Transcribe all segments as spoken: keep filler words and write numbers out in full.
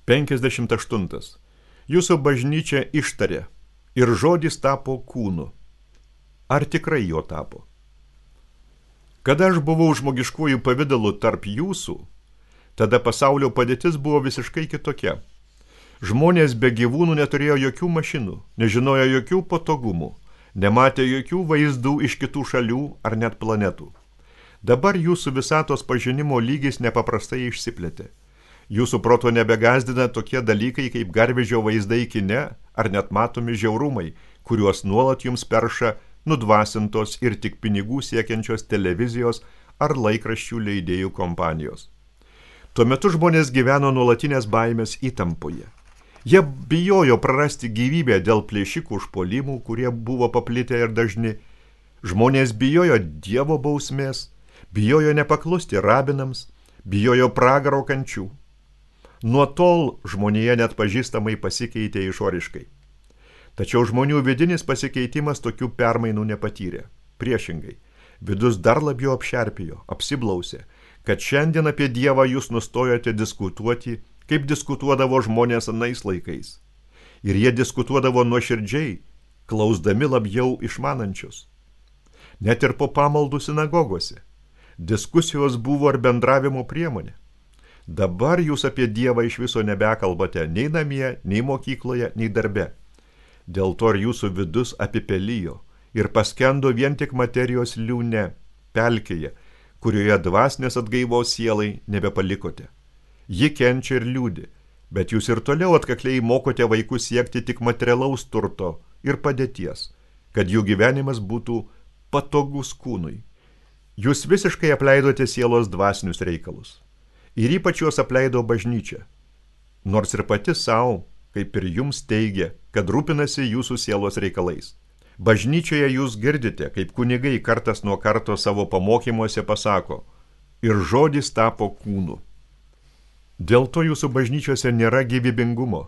penkiasdešimt aštuntas. Jūsų bažnyčia ištarė ir žodis tapo kūnu. Ar tikrai jo tapo? Kada aš buvau žmogiškuoju pavidalu tarp jūsų, tada pasaulio padėtis buvo visiškai kitokia. Žmonės be gyvūnų neturėjo jokių mašinų, nežinojo jokių patogumų, nematė jokių vaizdų iš kitų šalių ar net planetų. Dabar jūsų visatos pažinimo lygis nepaprastai išsiplėtė. Jūsų proto nebegazdina tokie dalykai kaip garvežio vaizdai kine ar net matomi žiaurumai, kuriuos nuolat jums perša nudvasintos ir tik pinigų siekiančios televizijos ar laikraščių leidėjų kompanijos. Tuo metu žmonės gyveno nuolatinės baimės įtampoje. Jie bijojo prarasti gyvybę dėl plėšikų užpuolimų, kurie buvo paplitę ir dažni. Žmonės bijojo Dievo bausmės, bijojo nepaklusti rabinams, bijojo pragaro kančių. Nuo tol žmonija net pažįstamai pasikeitė išoriškai. Tačiau žmonių vidinis pasikeitimas tokių permainų nepatyrė. Priešingai, vidus dar labiau apšerpijo, apsiblausė, kad šiandien apie Dievą jūs nustojote diskutuoti, kaip diskutuodavo žmonės anais laikais. Ir jie diskutuodavo nuoširdžiai, klausdami labiau išmanančius. Net ir po pamaldų sinagogose. Diskusijos buvo ir bendravimo priemonė. Dabar jūs apie Dievą iš viso nebekalbate nei namie, nei mokykloje, nei darbe. Dėl to ir jūsų vidus apipelijo ir paskendo vien tik materijos liūne, pelkėje, kurioje dvasinės atgaivos sielai nebepalikote. Ji kenčia ir liūdi, bet jūs ir toliau atkakliai mokote vaikus siekti tik materialaus turto ir padėties, kad jų gyvenimas būtų patogus kūnui. Jūs visiškai apleidote sielos dvasinius reikalus. Ir ypač juos apleido bažnyčia, nors ir pati savo, kaip ir jums teigia, kad rūpinasi jūsų sielos reikalais. Bažnyčioje jūs girdite, kaip kunigai kartas nuo karto savo pamokymuose pasako, ir žodis tapo kūnu. Dėl to jūsų bažnyčiose nėra gyvybingumo,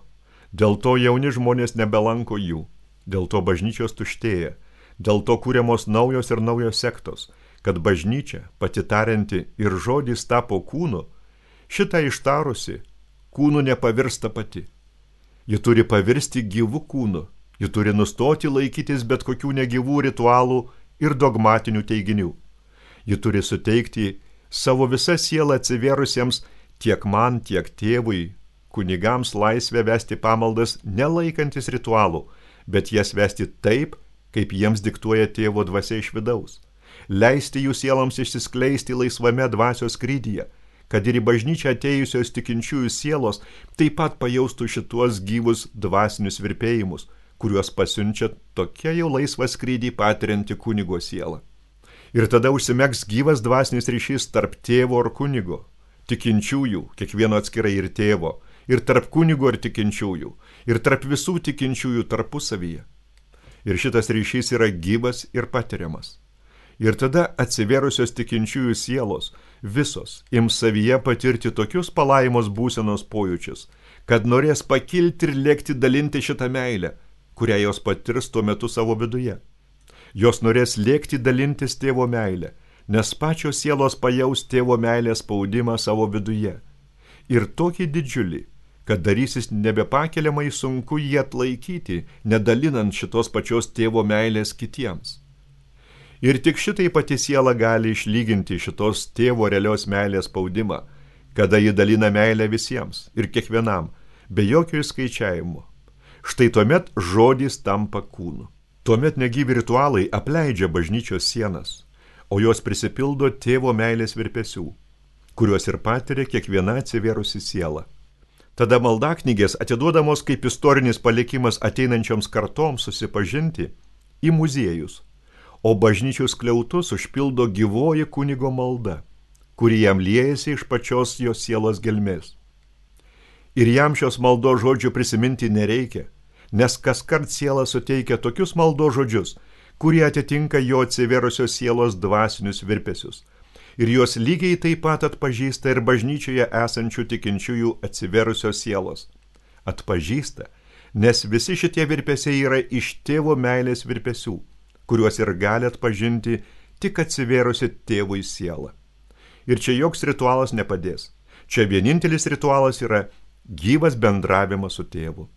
dėl to jauni žmonės nebelanko jų, dėl to bažnyčios tuštėja, dėl to kūriamos naujos ir naujos sektos, kad bažnyčia, pati tarianti ir žodis tapo kūnu, šitą ištarusi, kūnu nepavirsta pati. Ji turi pavirsti gyvų kūnu, ji turi nustoti laikytis bet kokių negyvų ritualų ir dogmatinių teiginių. Ji turi suteikti savo visą sielą atsivėrusiems tiek man, tiek tėvui, kunigams laisvę vesti pamaldas nelaikantis ritualų, bet jas vesti taip, kaip jiems diktuoja tėvo dvasia iš vidaus. Leisti jų sieloms išsiskleisti laisvame dvasios skrydyje, kad ir į bažnyčią atėjusios tikinčiųjų sielos taip pat pajaustų šituos gyvus dvasinius virpėjimus, kuriuos pasiunčia tokia jau laisvą skrydį patirianti kunigo siela. Ir tada užsimegs gyvas dvasinis ryšys tarp tėvo ir kunigo, tikinčiųjų, kiekvieno atskirai ir tėvo, ir tarp kunigo ir tikinčiųjų, ir tarp visų tikinčiųjų tarpusavyje. Ir šitas ryšys yra gyvas ir patiriamas. Ir tada atsivėrusios tikinčiųjų sielos visos ims savyje patirti tokius palaimos būsenos pojūčius, kad norės pakilti ir lėkti dalinti šitą meilę, kurią jos patirs tuo metu savo viduje. Jos norės lėkti dalintis tėvo meilę, nes pačios sielos pajaus tėvo meilės spaudimą savo viduje. Ir tokį didžiulį, kad darysis nebepakeliamai sunku jį atlaikyti, nedalinant šitos pačios tėvo meilės kitiems. Ir tik šitai pati siela gali išlyginti šitos tėvo realios meilės spaudimą, kada ji dalina meilę visiems ir kiekvienam, be jokio įskaičiavimo. Štai tuomet žodis tampa kūnu. Tuomet negyvi ritualai apleidžia bažnyčios sienas, o jos prisipildo tėvo meilės virpesių, kuriuos ir patiria kiekviena atsivėrusi siela. Tada maldaknygės atiduodamos kaip istorinis palikimas ateinančioms kartoms susipažinti į muziejus, o bažnyčių skliautus užpildo gyvoji kunigo malda, kuri jam liejasi iš pačios jos sielos gelmės. Ir jam šios maldos žodžių prisiminti nereikia, nes kaskart siela suteikia tokius maldos žodžius, kurie atitinka jo atsivėrusios sielos dvasinius virpesius. Ir jos lygiai taip pat atpažįsta ir bažnyčioje esančių tikinčiųjų atsivėrusios sielos. Atpažįsta, nes visi šitie virpesiai yra iš tėvo meilės virpesių, kuriuos ir gali atpažinti tik atsivėrusi tėvui sielą. Ir čia joks ritualas nepadės. Čia vienintelis ritualas yra gyvas bendravimas su tėvu.